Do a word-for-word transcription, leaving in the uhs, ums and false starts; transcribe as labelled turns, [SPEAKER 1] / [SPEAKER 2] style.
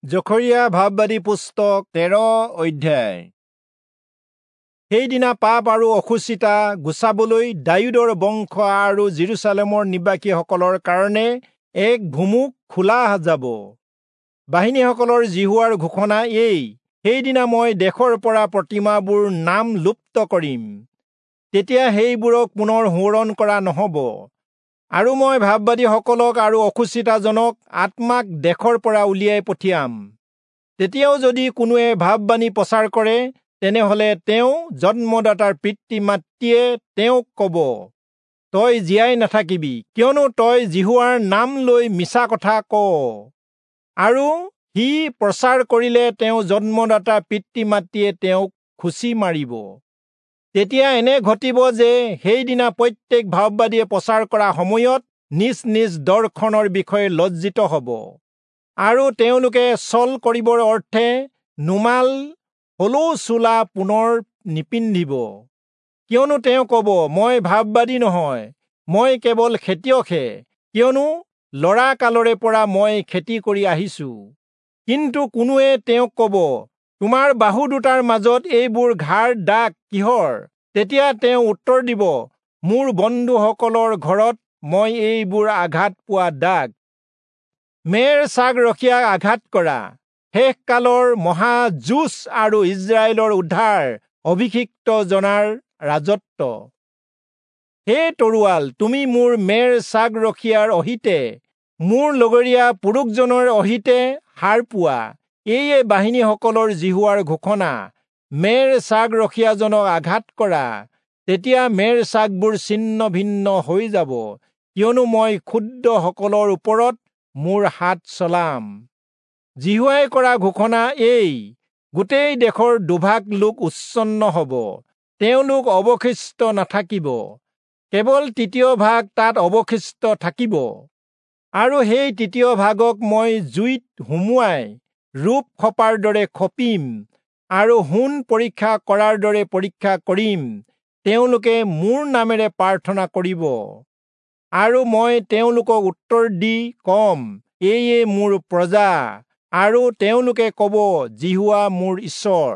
[SPEAKER 1] জখৰিয়া ভাববাদী পুস্তক তেৰ অধ্যায়। সেইদিনা পাপ আৰু অশুচিতা গুচাবলৈ দায়ূদৰ বংশ আৰু যিৰূচালেমৰ নিবাসীসকলৰ কাৰণে এক ভুমুক খোলা যাব। বাহিনীসকলৰ যিহোৱাৰ ঘোষণা এই, সেইদিনা মই দেশৰ পৰা প্ৰতিমাবোৰ নাম লুপ্ত কৰিম, তেতিয়া সেইবোৰক পুনৰ সোঁৱৰণ কৰা নহ'ব। আৰু মই ভাববাদীসকলক আৰু অশুচিতাজনক আত্মাক দেশৰ পৰা উলিয়াই পঠিয়াম। তেতিয়াও যদি কোনোৱে ভাববাণী প্ৰচাৰ কৰে, তেনেহলে তেওঁ জন্মদাতাৰ পিতৃ মাতৃয়ে তেওঁক ক'ব, তই জীয়াই নাথাকিবি, কিয়নো তই যিহোৱাৰ নাম লৈ মিছা কথা কৱ। আৰু সি প্ৰচাৰ কৰিলে তেওঁ জন্মদাতা পিতৃ মাতৃয়ে তেওঁক খুচি মাৰিব। তেতিয়া এনে ঘটিব যে সেইদিনা প্ৰত্যেক ভাববাদীয়ে প্ৰচাৰ কৰা সময়ত নিজ নিজ দৰ্শনৰ বিষয়ে লজ্জিত হ'ব, আৰু তেওঁলোকে ছল কৰিবৰ অৰ্থে নোমাল হলেও চোলা পুনৰ নিপিন্ধিব। কিয়নো তেওঁ ক'ব, মই ভাববাদী নহয়, মই কেৱল খেতিয়কহে, কিয়নো ল'ৰা কালৰে পৰা মই খেতি কৰি আহিছো। কিন্তু কোনোৱে তেওঁক ক'ব, তোমাৰ বাহু দুটাৰ মাজত এইবোৰ ঘাৰ দাগ কিহৰ? তেতিয়া তেওঁ উত্তৰ দিব, মোৰ বন্ধুসকলৰ ঘৰত মই এইবোৰ আঘাত পোৱা দাগ। মেৰ ছাগ ৰখীয়াক আঘাত কৰা শেষকালৰ মহা যুঁজ আৰু ইস্ৰায়েলৰ উদ্ধাৰ অভিষিক্ত জনাৰ ৰাজত্ব। হে তৰোৱাল, তুমি মোৰ মেৰ ছাগ ৰখীয়াৰ অহিতে, মোৰ লগৰীয়া পুৰুষজনৰ অহিতে সাৰ পোৱা। এইয়ে বাহিনীসকলৰ যিহোৱাৰ ঘোষণা। মেৰ ছাগ ৰখীয়াজনক আঘাত কৰা, তেতিয়া মেৰ ছাগবোৰ ছিন্ন ভিন্ন হৈ যাব, কিয়নো মই ক্ষুদ্ৰসকলৰ ওপৰত মোৰ হাত চলাম। যিহোৱাই কৰা ঘোষণা এই, গোটেই দেশৰ দুভাগ লোক উচ্ছন্ন হ'ব, তেওঁলোক অৱশিষ্ট নাথাকিব, কেৱল তৃতীয় ভাগ তাত অৱশিষ্ট থাকিব। আৰু সেই তৃতীয় ভাগক মই জুইত সুমুৱাই ৰূপ খপাৰ দৰে খপিম, আৰু সোণ পৰীক্ষা কৰাৰ দৰে পৰীক্ষা কৰিম। তেওঁলোকে মোৰ নামেৰে প্ৰাৰ্থনা কৰিব, আৰু মই তেওঁলোকক উত্তৰ দি কম, এইয়ে মোৰ প্ৰজা, আৰু তেওঁলোকে ক'ব, যিহোৱা মোৰ ঈশ্বৰ।